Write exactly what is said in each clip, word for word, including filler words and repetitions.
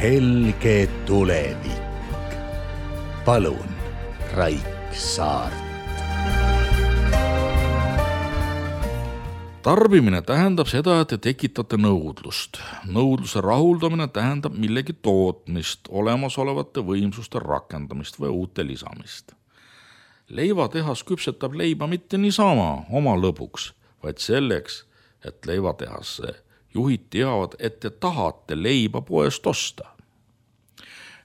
helge tulevik. Palun, Raik Saart. Tarbimine tähendab seda, et te tekitate nõudlust. Nõudluse rahuldamine tähendab millegi tootmist, olemasolevate võimsuste rakendamist või uute lisamist. Leivatehas küpsetab leiba mitte niisama oma lõbuks, vaid selleks, et leivatehasse juhid teavad, et te tahate leiba poest osta.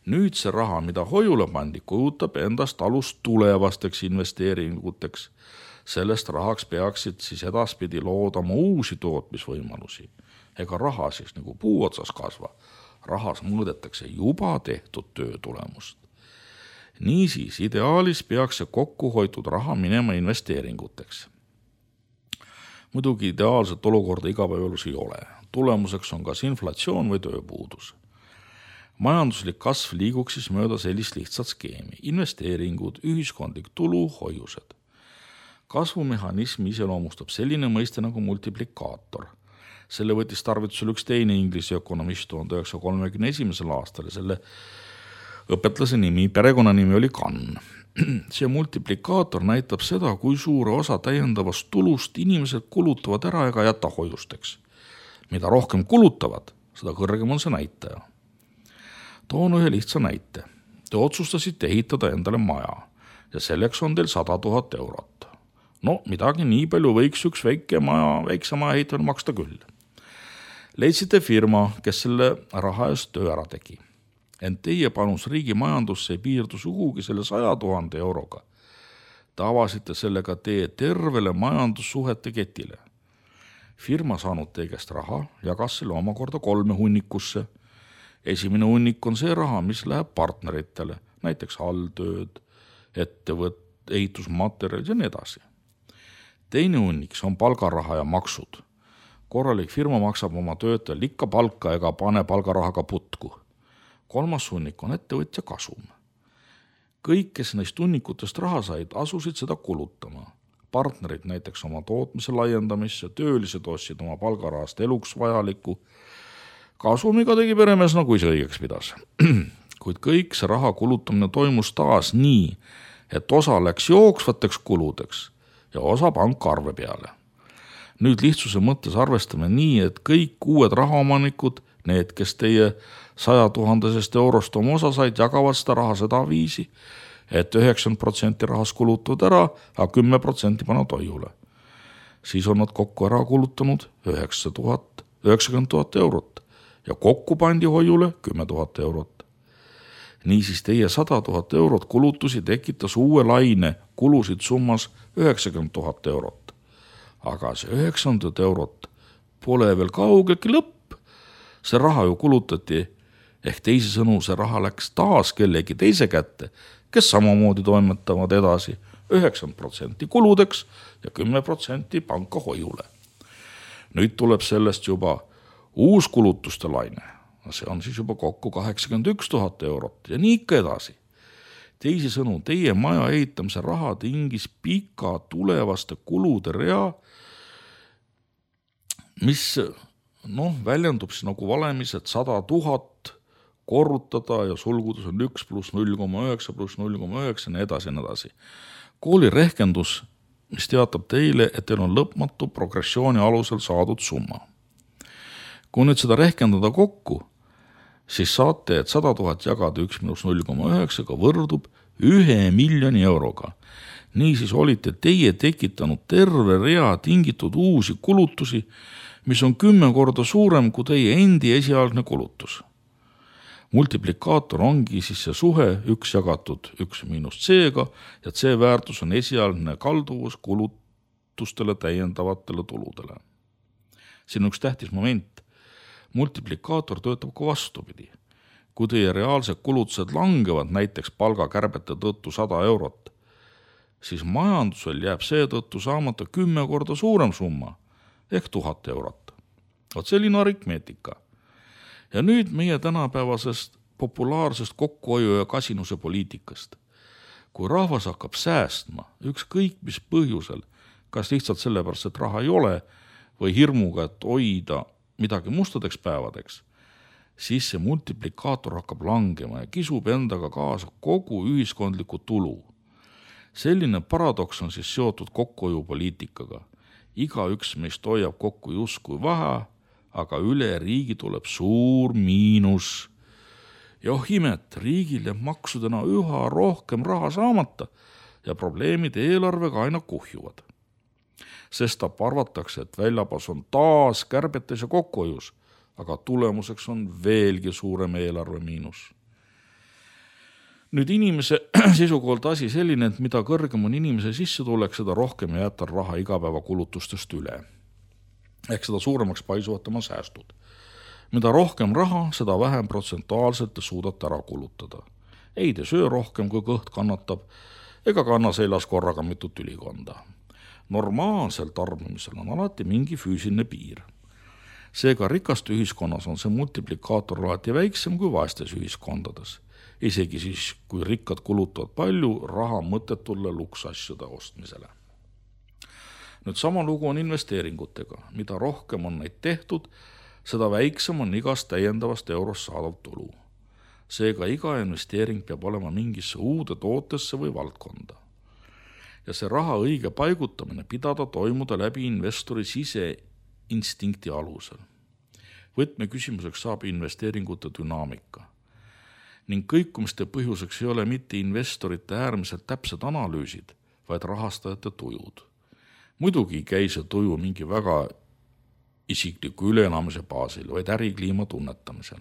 Nüüd see raha, mida hoiule pandi, kujutab endast alust tulevasteks investeeringuteks. Sellest rahaks peaksid siis edaspidi loodama uusi tootmisvõimalusi. Ega raha siis nagu puu otsas kasva. Rahas mõõdetakse juba tehtud töö tulemust. Niisiis, ideaalis peaks see kokku hoitud raha minema investeeringuteks. Muidugi ideaalset olukorda igapäevalus ei ole. Tulemuseks on kas inflatsioon või tööpuudus. Majanduslik kasv liiguks siis mööda sellist lihtsat skeemi. Investeeringud, ühiskondlik tulu, hoiused. Kasvumehhanismi iseloomustab selline mõiste nagu multiplikaator. Selle võttis tarvitusel üks teine inglise ökonomist tuhande üheksasaja kolmekümne esimesel aastal ja selle õpetlase nimi, perekonnanimi oli Kann. See multiplikaator näitab seda, kui suure osa täiendavast tulust inimesed kulutavad ära ega jäta hoiusteks. Mida rohkem kulutavad, seda kõrgem on see näitaja. Toon ühe lihtsa näite. Te otsustasite ehitada endale maja ja selleks on teil sada tuhat eurot. No, midagi nii palju võiks üks väike maja, väikse maja ehitamine maksta küll. Leidsite firma, kes selle raha eest töö ära tegi. Ent teie panus riigi majandusse ei piirdu sugugi selle saja tuhande euroga. Te avasite sellega tee tervele majandussuhete ketile. Firma saanud tegest raha jagas selle omakorda kolme hunnikusse. Esimene hunnik on see raha, mis läheb partneritele, näiteks alltööd, ettevõtt, ehitusmaterjalid ja nii edasi. Teine hunniks on palgaraha ja maksud. Korralik firma maksab oma töötajal ikka palka ega pane palgarahaga putku. Kolmas hunnik on ettevõtja kasum. Kõik, kes neist hunnikutest raha said, asusid seda kulutama. Partnerid näiteks oma tootmise laiendamisse, töölised ostsid oma palgarahast eluks vajaliku. Kasumiga tegi peremees nagu ise õigeks pidas. Kuid kõik see raha kulutamine toimus taas nii, et osa läks jooksvateks kuludeks ja osa pankarve peale. Nüüd lihtsuse mõttes arvestame nii, et kõik uued rahaomanikud, need, kes teie saja tuhandesest eurost oma osa said, jagavad seda raha seda viisi, et üheksakümmend protsenti rahas kulutavad ära, aga kümme protsenti panevad hoiule. Siis on nad kokku ära kulutanud üheksakümmend tuhat eurot ja kokku pandi hoiule kümme tuhat eurot. Niisiis teie sada tuhat eurot kulutusi tekitas uue laine kulusid summas üheksakümmend tuhat eurot. Aga see üheksakümmend eurot pole veel kaugeltki lõpp. See raha ju kulutati, ehk teisi sõnu see raha läks taas kellegi teise kätte, kes samamoodi toimetavad edasi üheksakümmend protsenti kuludeks ja kümme protsenti panka hoiule. Nüüd tuleb sellest juba uus kulutuste laine. See on siis juba kokku kaheksakümmend üks tuhat eurot ja nii ikka edasi. Teisi sõnu, teie maja ehitamise raha tingis pika tulevaste kulude rea, mis noh, väljendub siis nagu valemis, et sada tuhat korrutada ja sulgudes on üks pluss null koma üheksa pluss null koma üheksa, nii edasi, nii edasi. Kooli rehkendus, mis teatab teile, et teil on lõpmatu progressiooni alusel saadud summa. Kui nüüd seda rehkendada kokku, siis saate, et sada tuhat jagada üks pluss null koma üheksaga võrdub ühe miljoni euroga. Niisiis olite teie tekitanud terve rea tingitud uusi kulutusi, mis on kümme korda suurem kui teie endi esialgne kulutus. Multiplikaator ongi siis see suhe üks jagatud üks miinus C-ga ja C väärtus on esialgne kalduvus kulutustele täiendavatele tuludele. Siin on üks tähtis moment. Multiplikaator töötab ka vastupidi. Kui teie reaalsed kulutused langevad näiteks palgakärbete tõttu sada eurot, siis majandusel jääb seetõttu saamata kümme korda suurem summa ehk tuhat eurot. Oot selline aritmeetika. Ja nüüd meie tänapäevasest populaarsest kokkuhoiu ja kasinuse poliitikast. Kui rahvas hakkab säästma ükskõik mis põhjusel, kas lihtsalt sellepärast, et raha ei ole või hirmuga, et hoida midagi mustadeks päevadeks, siis see multiplikaator hakkab langema ja kisub endaga kaasa kogu ühiskondliku tulu. Selline paradoks on siis seotud kokkuhoiupoliitikaga. Igaüks meist hoiab kokku justkui vähe, aga üle riigi tuleb suur miinus. Ja oh imet, riigil jääb maksudena üha rohkem raha saamata ja probleemid eelarvega aina kuhjuvad. Sestap arvatakse, et väljapas on taas kärbetes ja kokkuhoius, aga tulemuseks on veelgi suurem eelarve miinus. Nüüd inimese seisukohalt asi selline, et mida kõrgem on inimese sissetulek, seda rohkem jääb tal raha igapäeva kulutustest üle. Ehk seda suuremaks paisuvad tema säästud. Mida rohkem raha, seda vähem protsentuaalselt te suudate ära kulutada. Ei te söö rohkem, kui kõht kannatab, ega kanna seljas korraga mitut ülikonda. Normaalsel tarbimisel on alati mingi füüsiline piir. Seega rikaste ühiskonnas on see multiplikaator alati väiksem kui vaestes ühiskondades. Isegi siis, kui rikkad kulutavad palju raha mõttetulle luksasjade ostmisele. Nüüd sama lugu on investeeringutega. Mida rohkem on neid tehtud, seda väiksem on igast täiendavast eurost saadav tulu. Seega iga investeering peab olema mingisse uude tootesse või valdkonda. Ja see raha õige paigutamine pidada toimuda läbi investori siseinstinkti alusel. Võtme küsimuseks saab investeeringute dünaamika. Ning kõikumiste põhjuseks ei ole mitte investorite äärmiselt täpsed analüüsid, vaid rahastajate tujud. Muidugi ei käi see tuju mingi väga isikliku üleelamise baasil, vaid ärikliima tunnetamisel.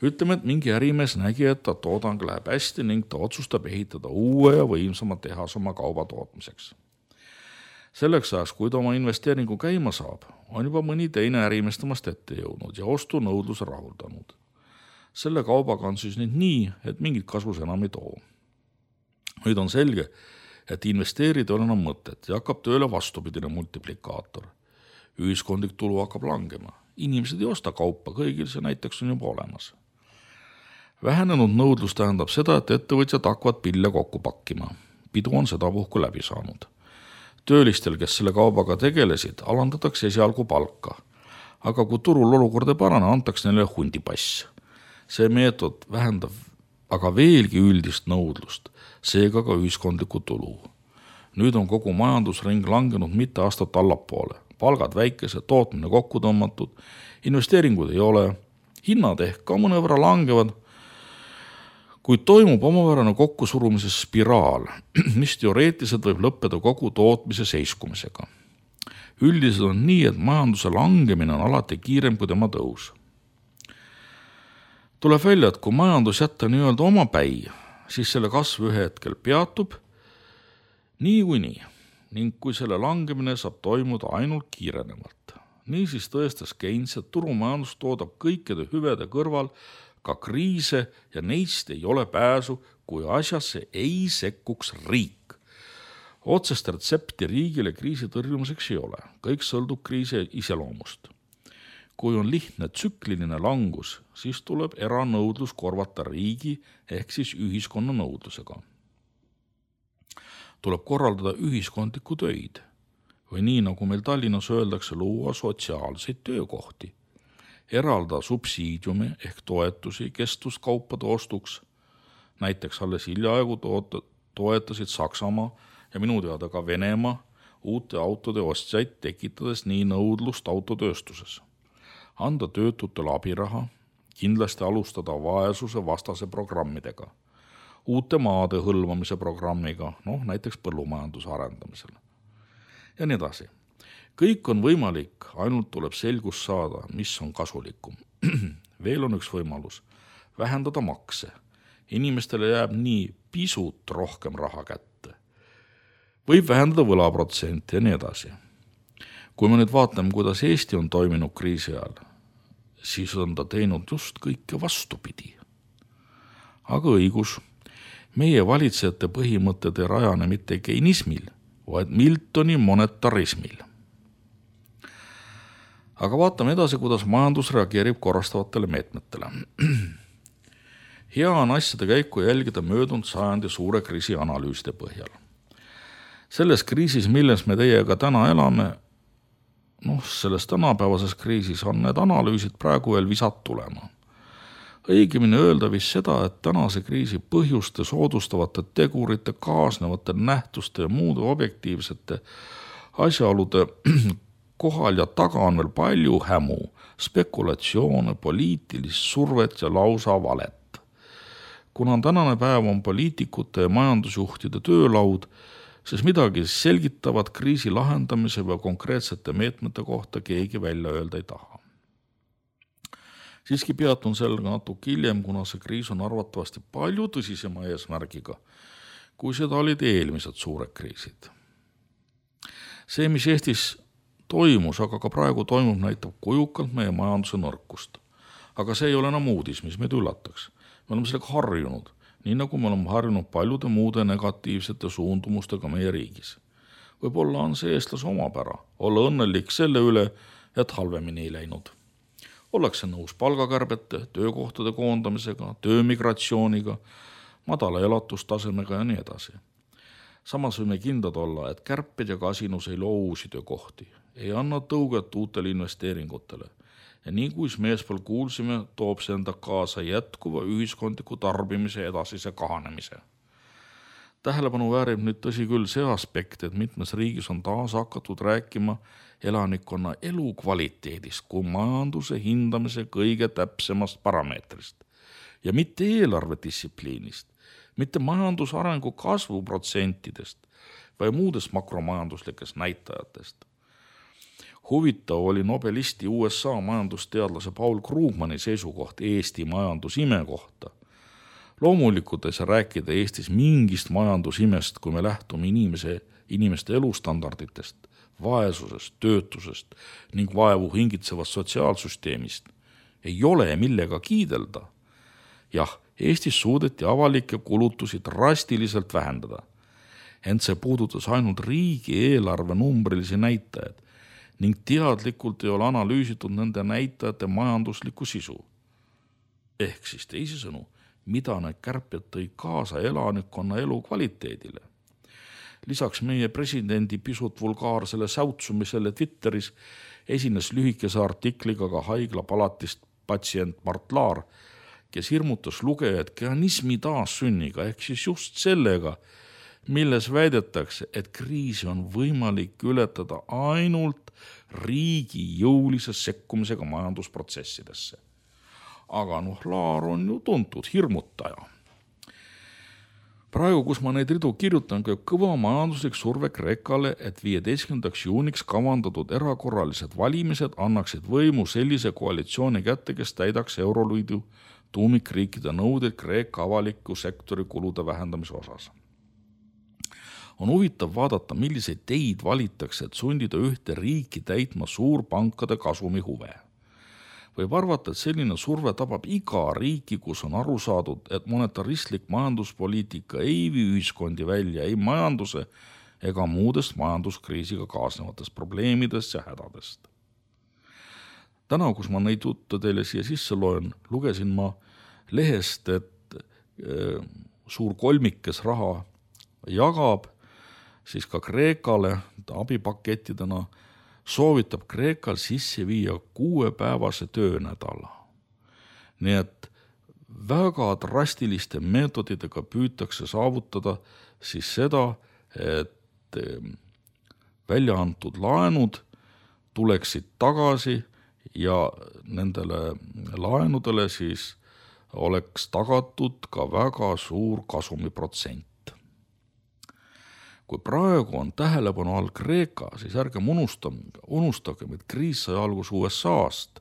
Ütleme, et mingi ärimees nägi, et ta toodang läheb hästi ning ta otsustab ehitada uue ja võimsama tehas oma kauba tootmiseks. Selleks ajaks, kui ta oma investeeringu käima saab, on juba mõni teine ärimees temast ette jõudnud ja ostu nõudluse rahuldanud. Selle kaubaga on siis nüüd nii, et mingit kasus enam ei too. Nüüd on selge, et investeerida on enam mõtet ja hakkab tööle vastupidine multiplikaator. Ühiskondlik tulu hakkab langema. Inimesed ei osta kaupa, kõigil see näiteks on juba olemas. Vähenenud nõudlus tähendab seda, et ettevõtjad hakkavad pille kokku pakkima. Pidu on seda puhku läbi saanud. Töölistel, kes selle kaubaga tegelesid, alandatakse esialgu palka. Aga kui turul olukord ei parane, antaks neile hundipass. See meetod vähendab aga veelgi üldist nõudlust, seega ka ühiskondlikku tulu. Nüüd on kogu majandusring langenud mitte aastat allapoole. Palgad väikese, tootmine kokku tõmmatud, investeeringud ei ole, hinnad ehk ka mõnevõrra langevad, kuid toimub omavärane kokkusurumise spiraal, mis teoreetiliselt võib lõppeda kogu tootmise seiskumisega. Üldiselt on nii, et majanduse langemine on alati kiirem kui tema tõus. Tuleb välja, et kui majandus jätta nii-öelda oma päi, siis selle kasv ühe hetkel peatub nii kui nii, ning kui selle langemine saab toimuda ainult kiirenevalt. Nii siis tõestas Keynes, et turumajandus toodab kõikide hüvede kõrval ka kriise ja neist ei ole pääsu, kui asjasse ei sekkuks riik. Otsest retsepti riigile kriisi tõrjumiseks ei ole, kõik sõltub kriisi iseloomust. Kui on lihtne tsükliline langus, siis tuleb eranõudlus korvata riigi ehk siis ühiskonna nõudlusega. Tuleb korraldada ühiskondlikku töid või nii, nagu meil Tallinnas öeldakse, luua sotsiaalseid töökohti. Eralda subsiidiumi ehk toetusi kestvuskaupade ostuks. Näiteks alles hiljaaegu toetasid Saksamaa ja minu teada ka Venemaa uute autode ostjaid, tekitades nii nõudlust autotööstuses. Anda töötutele abiraha, kindlasti alustada vaesuse vastase programmidega, uute maade hõlvamise programmiga, noh näiteks põllumajanduse arendamisel. Ja nii edasi. Kõik on võimalik, ainult tuleb selgus saada, mis on kasulikum. Veel on üks võimalus, vähendada makse. Inimestele jääb nii pisut rohkem raha kätte. Võib vähendada võlaprotsenti ja nii edasi. Kui me nüüd vaatame, kuidas Eesti on toiminud kriisi ajal, siis on ta teinud just kõike vastupidi. Aga õigus, meie valitsejate põhimõtted ei rajane mitte keinismil, vaid Miltoni monetarismil. Aga vaatame edasi, kuidas majandus reageerib korrastavatele meetmetele. Hea on asjade käiku jälgida möödunud sajandi suure kriisi analüüside põhjal. Selles kriisis, milles me teiega täna elame, noh, selles tänapäevases kriisis on need analüüsid praegu veel visat tulema. Õigemini öelda vist seda, et tänase kriisi põhjuste soodustavate tegurite, kaasnevate nähtuste ja muude objektiivsete asjaolude kohal ja taga on veel palju hämu, spekulatsioone, poliitilist survet ja lausa valet. Kuna tänane päev on poliitikute ja majandusjuhtide töölaud, siis midagi selgitavat kriisi lahendamise või konkreetsete meetmete kohta keegi välja öelda ei taha. Siiski peatun sellega natuke hiljem, kuna see kriis on arvatavasti palju tõsisema eesmärgiga, kui seda olid eelmised suured kriisid. See, mis Eestis toimus, aga ka praegu toimub, näitab kujukalt meie majanduse nõrkust. Aga see ei ole enam uudis, mis meid üllataks. Me oleme sellega harjunud, nii nagu me oleme harjunud paljude muude negatiivsete suundumustega meie riigis. Võib-olla on see eestlase omapära, olla õnnelik selle üle, et halvemini ei läinud. Ollakse nõus palgakärbete, töökohtade koondamisega, töömigratsiooniga, madala elatustasemega ja nii edasi. Samas võime kindlad olla, et kärped ja kasinus ei loo uusi töökohti, ei anna tõuget uutele investeeringutele. Ja nii kui meespool kuulsime, toob see enda kaasa jätkuva ühiskondliku tarbimise edasise kahanemise. Tähelepanu väärib nüüd tõsi küll see aspekt, et mitmes riigis on taas hakatud rääkima elanikkonna elukvaliteedist kui majanduse hindamise kõige täpsemast parameetrist. Ja mitte eelarvedistsipliinist, mitte majandusarengu kasvuprotsentidest või muudest makromajanduslikest näitajatest. Huvitav oli nobelisti U S A majandusteadlase Paul Krugmani seisukoht Eesti majandusime kohta. Loomulikult ei saa rääkida Eestis mingist majandusimest, kui me lähtume inimese, inimeste elustandarditest, vaesusest, töötusest ning vaevu hingitsevast sotsiaalsüsteemist. Ei ole millega kiidelda. Jah, Eestis suudeti avalikke kulutusi drastiliselt vähendada. Ent see puudutas ainult riigi eelarve numbrilisi näitajaid ning teadlikult ei ole analüüsitud nende näitajate majanduslikku sisu. Ehk siis teisisõnu, mida need kärped tõi kaasa elanikkonna elu kvaliteedile. Lisaks meie presidendi pisut vulgaarsele säutsumisele Twitteris esines lühikese artikliga ka haiglapalatist patsient Mart Laar, kes hirmutas lugejad keanismi taassünniga ehk siis just sellega, milles väidetakse, et kriisi on võimalik ületada ainult riigi jõulise sekkumisega majandusprotsessidesse. Aga noh, Laar on ju tuntud hirmutaja. Praegu, kus ma neid ridu kirjutan, käib kõva majanduslik surve Kreekale, et viieteistkümnendaks juuniks kavandatud erakorralised valimised annaksid võimu sellise koalitsiooni kätte, kes täidaks Euroliidu tuumikriikide nõudeid Kreeka avaliku sektori kulude vähendamise osas. On huvitav vaadata, milliseid teid valitakse, et sundida ühte riiki täitma suurpankade kasumi huve. Võib arvata, et selline surve tabab iga riiki, kus on aru saadud, et monetaristlik majanduspoliitika ei vii ühiskondi välja ei majanduse ega muudest majanduskriisiga kaasnevatest probleemidest ja hädadest. Täna, kus ma neid juttu teile siia sisse loen, lugesin ma lehest, et e, suur kolmikes raha jagab, siis ka Kreekale abipakettidena soovitab Kreekal sisse viia kuuepäevase töönädala. Nii et väga drastiliste meetoditega püütakse saavutada siis seda, et välja antud laenud tuleksid tagasi ja nendele laenudele siis oleks tagatud ka väga suur kasumiprotsent. Kui praegu on tähelepanu all Kreeka, siis ärgem unustagem, et kriis sai algus U S A-st.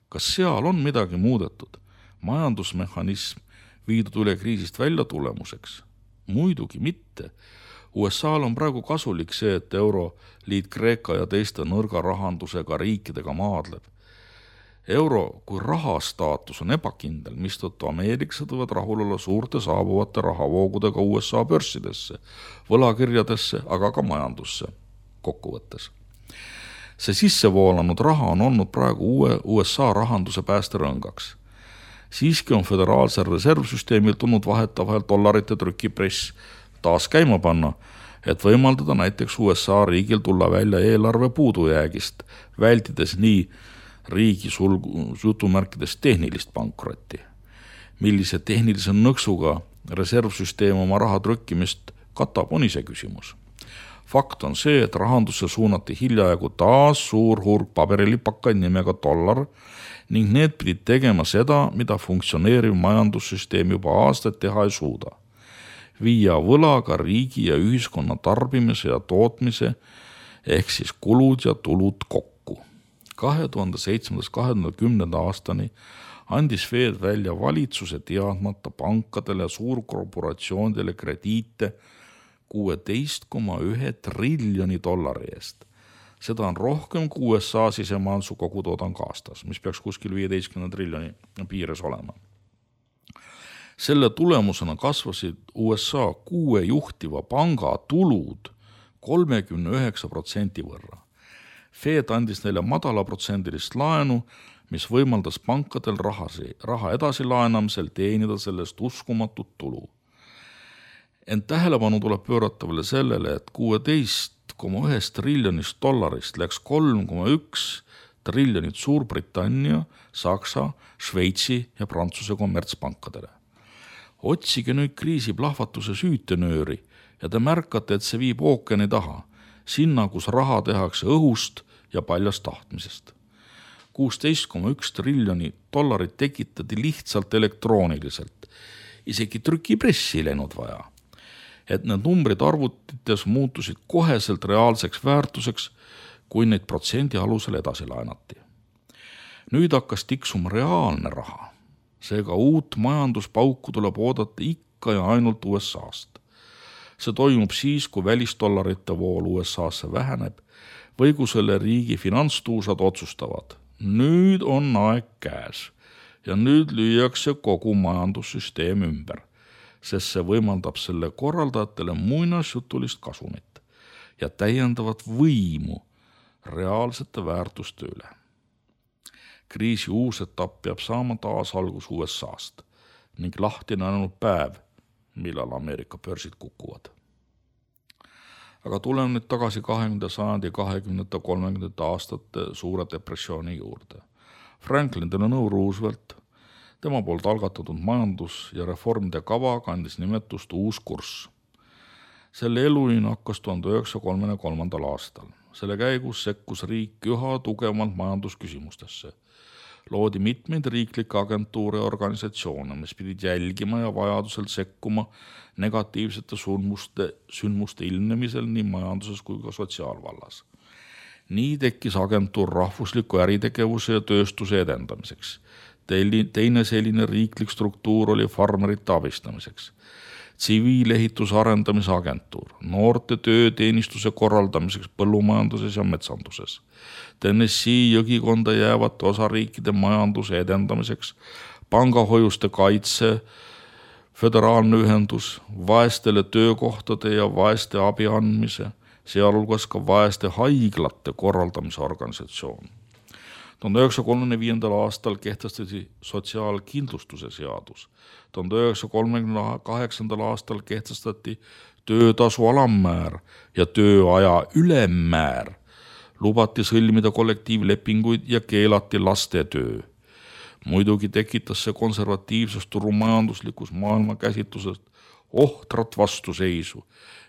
Kas seal on midagi muudetud? Majandusmehhanism viidud üle kriisist välja tulemuseks? Muidugi mitte. U S A-l on praegu kasulik see, et Euroliit Kreeka ja teiste nõrga rahandusega riikidega maadleb. Euro kui rahastaatus on ebakindel, mistõttu ameeriklased võivad rahul olla suurte saabuvate rahavoogudega U S A börsidesse, võlakirjadesse, aga ka majandusse kokkuvõttes. See sissevoolanud raha on olnud praegu uue U S A rahanduse päästerõngaks. Siiski on föderaalsel reservsüsteemil tulnud vahetavahel dollarite trükipress taas käima panna, et võimaldada näiteks U S A riigil tulla välja eelarve puudujäägist, vältides nii riigi sulgu, jutumärkides tehnilist pankrotti. Millise tehnilise nõksuga reservsüsteem oma raha trükkimist katab, on ise küsimus. Fakt on see, et rahandusse suunati hiljaaegu taas suur hulk paberilipakaid nimega dollar ning need pidid tegema seda, mida funktsioneeriv majandussüsteem juba aastaid teha ei suuda. Viia võlaga riigi ja ühiskonna tarbimise ja tootmise ehk siis kulud ja tulud kokku. kahe tuhande seitsmendast kahe tuhande kümnenda aastani andis Fed välja valitsuse teadmata pankadele ja suurkorporatsioonidele krediite kuusteist koma üks triljoni dollari eest. Seda on rohkem kui U S A sisemajanduse kogutoodang aastas, mis peaks kuskil viieteistkümne triljoni piires olema. Selle tulemusena kasvasid U S A kuue juhtiva panga tulud kolmekümne üheksa protsendi võrra. Fed andis neile madalaprotsendilist laenu, mis võimaldas pankadel rahasi, raha edasi laenamisel teenida sellest uskumatut tulu. Ent tähelepanu tuleb pöörata veel sellele, et kuusteist koma üks triljonist dollarist läks kolm koma üks triljonit Suurbritannia, Saksa, Šveitsi ja Prantsuse kommertspankadele. Otsige nüüd kriisi plahvatuse süütenööri ja te märkate, et see viib ookeani taha, sinna, kus raha tehakse õhust ja paljast tahtmisest. kuusteist koma üks triljoni dollarit tekitati lihtsalt elektrooniliselt, isegi trükipressi ei läinud vaja. Et need numbrid arvutites muutusid koheselt reaalseks väärtuseks, kui neid protsendi alusel edasi laenati. Nüüd hakkas tiksuma reaalne raha. Seega uut majanduspauku tuleb oodata ikka ja ainult U S A-st. See toimub siis, kui välistollarite vool U S A-sse väheneb või kui selle riigi finantstuusad otsustavad. Nüüd on aeg käes ja nüüd lüüakse kogu majandussüsteem ümber, sest see võimaldab selle korraldajatele muinasjutulist kasumit ja täiendavat võimu reaalsete väärtuste üle. Kriisi uus etapp peab saama taas algus U S A-st ning lahti on ainult päev, millal Ameerika börsid kukuvad. Aga tuleme nüüd tagasi kahekümnenda sajandi kahekümnendate kolmekümnendate aastate suure depressiooni juurde. Franklin Delano Roosevelt, tema poolt algatatud majandus- ja reformide kava kandis nimetust uus kurss. Selle eluline hakkas tuhande üheksasaja kolmekümne kolmandal aastal. Selle käigus sekkus riik üha tugevamalt majandusküsimustesse. Loodi mitmeid riiklikke agentuure ja organisatsioone, mis pidid jälgima ja vajadusel sekkuma negatiivsete sündmuste, sündmuste ilmnemisel nii majanduses kui ka sotsiaalvallas. Nii tekkis agentuur rahvusliku äritegevuse ja tööstuse edendamiseks. Teine selline riiklik struktuur oli farmerite abistamiseks. Tsiviilehituse arendamise agentuur, noorte tööteenistuse korraldamiseks põllumajanduses ja metsanduses. Tennessee jõgikonda jäävate osariikide majanduse edendamiseks, pangahoiuste kaitse, föderaalne ühendus, vaestele töökohtade ja vaeste abi andmise, sealhulgas ka vaeste haiglate korraldamise organisatsioon. tuhande üheksasaja kolmekümne viiendal aastal kehtestati sotsiaalkindlustuse seadus. tuhande üheksasaja kolmekümne kaheksandal aastal kehtestati töötasu alammäär ja tööaja ülemmäär. Lubati sõlmida kollektiivlepinguid ja keelati lastetöö. Muidugi tekitas see konservatiivsest turumajanduslikus maailmakäsitlusest ohtrat vastuseisu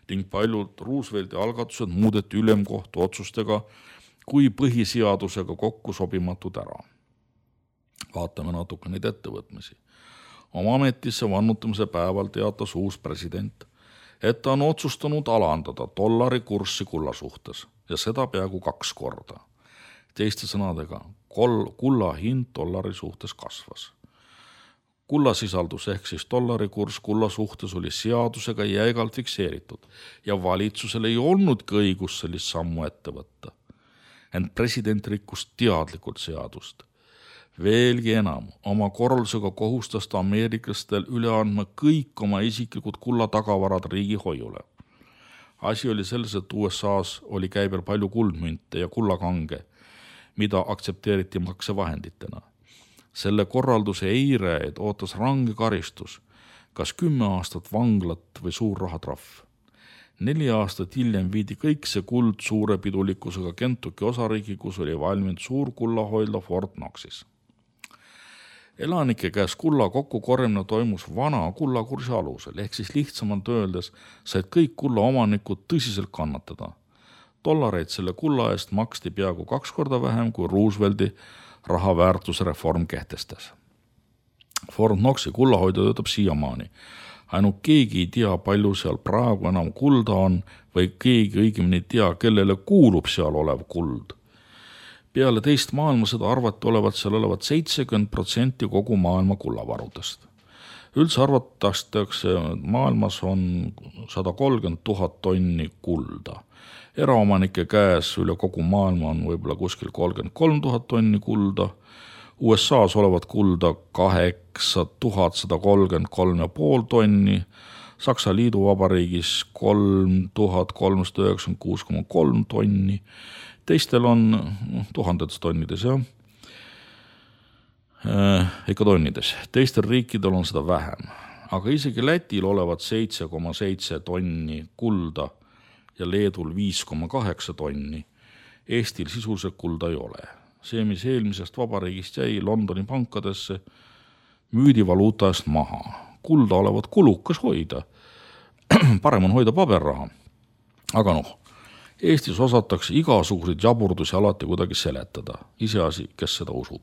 ning paljud Roosevelti algatused muudeti ülemkohtu otsustega kui põhiseadusega kokku sobimatud ära. Vaatame natuke neid ettevõtmisi. Oma ametisse vannutamise päeval teatas uus president, et ta on otsustanud alandada dollari kurssi kulla suhtes ja seda peaaegu kaks korda. Teiste sõnadega, kol, kulla hind dollari suhtes kasvas. Kulla sisaldus ehk siis dollari kurss kulla suhtes oli seadusega jäigalt fikseeritud ja valitsusel ei olnudki õigus sellist sammu ette võtta. Ent president rikkus teadlikult seadust. Veelgi enam, oma korraldusega kohustas ta ameeriklastel üle andma kõik oma isiklikud kulla tagavarad riigi hoiule. Asi oli selles, et U S A-s oli käibel palju kuldmünte ja kullakange, mida aktsepteeriti maksevahenditena. Selle korralduse eirajaid ootas range karistus, kas kümme aastat vanglat või suur rahatrahv. Neli aastat hiljem viidi kõik see kuld suure pidulikkusega Kentucky osariigi, kus oli valminud suur kullahoidla Fort Knoxis. Elanike käes kulla kokkukorjamine toimus vana kullakursi alusel, ehk siis lihtsamalt öeldes said kõik kulla omanikud tõsiselt kannatada. Dollareid selle kulla eest maksti peaaegu kaks korda vähem, kui Roosevelti rahaväärtusreform kehtestas. Fort Knoxi kullahoidla töötab siiamaani. Ainult keegi ei tea, palju seal praegu enam kulda on või keegi õigemini tea, kellele kuulub seal olev kuld. Peale teist maailmasõda arvati olevat seal olevat seitsekümmend protsenti kogu maailma kullavarudest. Üldse arvatakse, maailmas on sada kolmkümmend tuhat tonni kulda. Eraomanike käes üle kogu maailma on võib-olla kuskil kolmkümmend kolm tuhat tonni kulda. U S A-s olevat kulda kaheksa tuhat sada kolmkümmend kolm ja pool tonni, Saksa Liiduvabariigis kolm tuhat kolmsada üheksakümmend kuus koma kolm tonni, teistel on no, tuhandetes tonnides, jah, äh, ikka tonnides, teistel riikidel on seda vähem, aga isegi Lätil olevat seitse koma seitse tonni kulda ja Leedul viis koma kaheksa tonni, Eestil sisuliselt kulda ei ole. See, mis eelmisest vabariigist jäi Londoni pankadesse, müüdi valuuta eest maha. Kulda olevat kulukas hoida. Parem on hoida paberraha. Aga noh, Eestis osatakse igasuguseid jaburdusi alati kuidagi seletada. Iseasi, kes seda usub.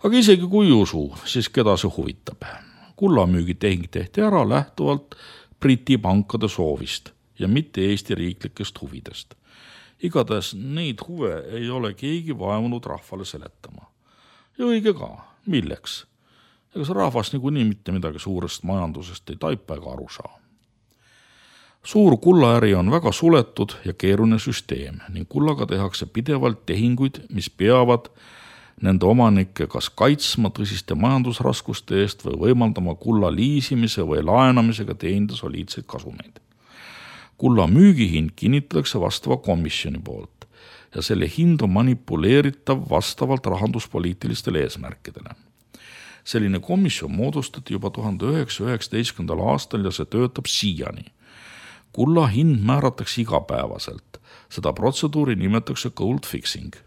Aga isegi kui usu, siis keda see huvitab. Kullamüügi tehing tehti ära lähtuvalt Briti pankade soovist ja mitte Eesti riiklikest huvidest. Igatahes neid huve ei ole keegi vaevunud rahvale seletama. Ja õige ka, milleks? Ega see rahvas niikuinii mitte midagi suurest majandusest ei taipa ega aru saa. Suur kullaäri on väga suletud ja keeruline süsteem ning kullaga tehakse pidevalt tehinguid, mis peavad nende omanikke kas kaitsma tõsiste majandusraskuste eest või võimaldama kulla liisimise või laenamisega teenida soliidseid kasumeid. Kulla müügihind kinnitatakse vastava komisjoni poolt ja selle hind on manipuleeritav vastavalt rahanduspoliitilistele eesmärkidele. Selline komisjon moodustati juba tuhande üheksasaja üheksateistkümnendal aastal ja see töötab siiani. Kulla hind määratakse igapäevaselt. Seda protseduuri nimetatakse gold fixing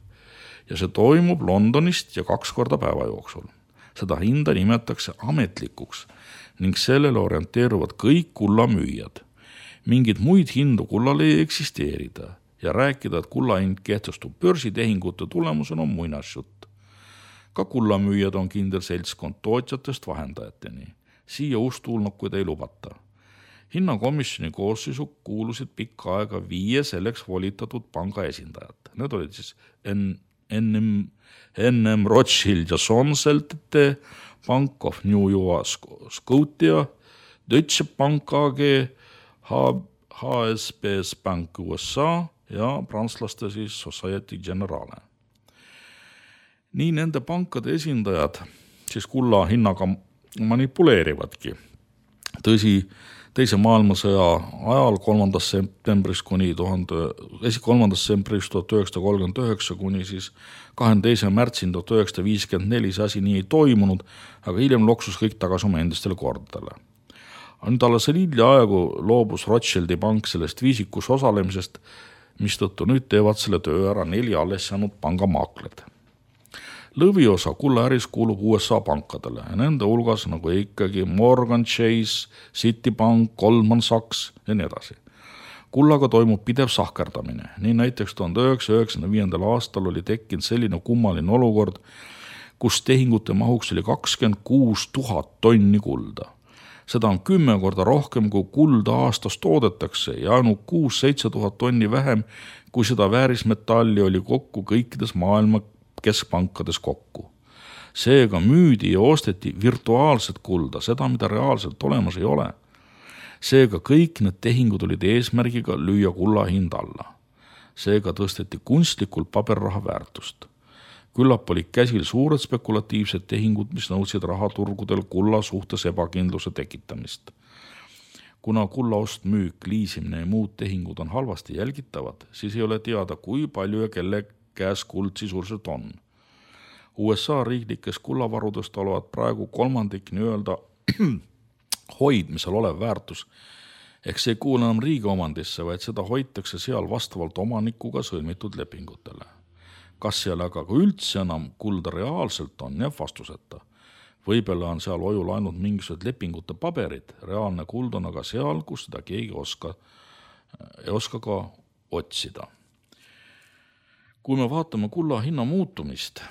ja see toimub Londonist ja kaks korda päeva jooksul. Seda hinda nimetatakse ametlikuks ning sellele orienteeruvad kõik kullamüüjad. Mingid muid hindu kullal ei eksisteerida ja rääkida, et kullahind kehtestub börsitehingute tulemusena on muinasjutt. Ka kullamüüjad on kindel seltskond tootjatest vahendajateni. Siia ustuulnukuid ei lubata. Hinnakomisjoni koosseisu kuulusid pikka aega viie selleks volitatud panga esindajad. Need olid siis N M Rothschild ja Sonseltete, Bank of New York Scotia, Deutsche Bank A G, H S B S Bank U S A ja prantslaste siis Societe Generale. Nii nende pankade esindajad siis kulla hinnaga manipuleerivadki. Tõsi, teise maailmasõja ajal kolmandast septembrist kuni kolmandast septembrist tuhat üheksasada kolmkümmend üheksa kuni siis kahekümne teisel märtsil tuhat üheksasada viiskümmend neli see asi nii ei toimunud, aga hiljem loksus kõik tagasi oma endistele kordadele. Nüüd alles hilja aegu loobus Rothschildi pank sellest viisikus osalemisest, mistõttu nüüd teevad selle töö ära neli alles jäänud pangamaakleid. Lõviosa kullaäris kuulub U S A pankadele ja nende hulgas nagu ikkagi Morgan Chase, Citibank, Goldman Sachs ja nii edasi. Kullaga toimub pidev sahkerdamine. Nii näiteks tuhande üheksasaja üheksakümne viiendal aastal oli tekkinud selline kummaline olukord, kus tehingute mahuks oli kakskümmend kuus tuhat tonni kulda. Seda on kümme korda rohkem, kui kulda aastas toodetakse ja ainult kuus seitse tuhat tonni vähem, kui seda väärismetalli oli kokku kõikides maailma keskpankades kokku. Seega müüdi ja osteti virtuaalset kulda, seda, mida reaalselt olemas ei ole. Seega kõik need tehingud olid eesmärgiga lüüa kulla hind alla. Seega tõsteti kunstlikult paberraha väärtust. Küllap olid käsil suured spekulatiivsed tehingud, mis nõudsid rahaturgudel kulla suhtes ebakindluse tekitamist. Kuna kulla ost, müük, liisimine ja muud tehingud on halvasti jälgitavad, siis ei ole teada, kui palju ja kelle käes kuld sisuliselt on. U S A riiklikest kullavarudest olevat praegu kolmandik nii öelda hoidmisel olev väärtus Ehk see ei kuule enam riigi omandisse, vaid seda hoitakse seal vastavalt omanikuga sõlmitud lepingutele. Kas seal aga ka üldse enam kulda reaalselt on, jääb vastuseta. Võibolla on seal ojul ainult mingisugused lepingute paberid, reaalne kuld on aga seal, kus seda keegi oska, ei oska ka otsida. Kui me vaatame kulla hinna muutumist,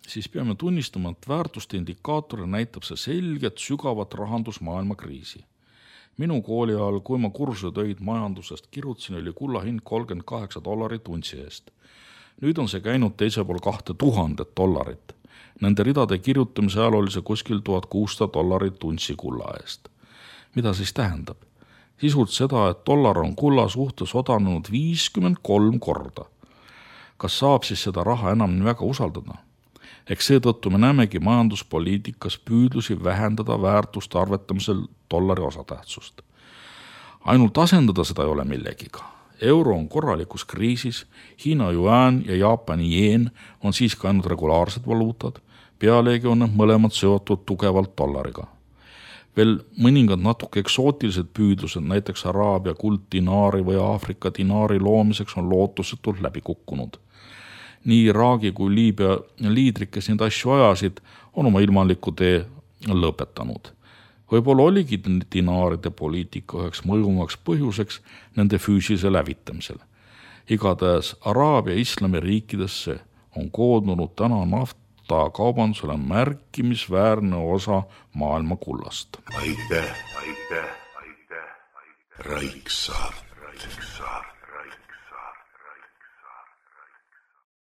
siis peame tunnistama, et väärtuste indikaatori näitab see selget sügavat rahandusmaailma kriisi. Minu kooli ajal, kui ma kursutöid majandusest kirjutasin, oli kulla hind kolmkümmend kaheksa dollarit untsi eest. Nüüd on see käinud teise pool kahte tuhandet dollarit. Nende ridade kirjutamise ajal oli see kuskil tuhat kuussada dollarit untsi kulla eest. Mida siis tähendab? Sisult seda, et dollar on kulla suhtes odanud viiskümmend kolm korda. Kas saab siis seda raha enam nii väga usaldada? Eks seetõttu me näemegi majanduspoliitikas püüdlusi vähendada väärtuste arvetamisel dollari osatähtsust. Ainult asendada seda ei ole millegiga. Euro on korralikus kriisis, Hiina juan ja Jaapani jeen on siiski ainult regulaarsed valuutad, pealegi on need mõlemad seotud tugevalt dollariga. Veel mõningad natuke eksootilised püüdlused, näiteks Araabia kulddinaari või Aafrika dinaari loomiseks on lootusetult läbi kukkunud. Nii Iraagi kui Liibüa liidrid, kes neid asju ajasid, on oma ilmanliku tee lõpetanud. Võib-olla oligi dinaaride poliitika üheks mõjumaks põhjuseks nende füüsise lävitamisel. Igatahes Araabia islami riikidesse on koondunud täna nafta kaubandusele märkimisväärne osa maailma kullast. Aitäh, aitäh, aitäh, aitäh. Raiksaart.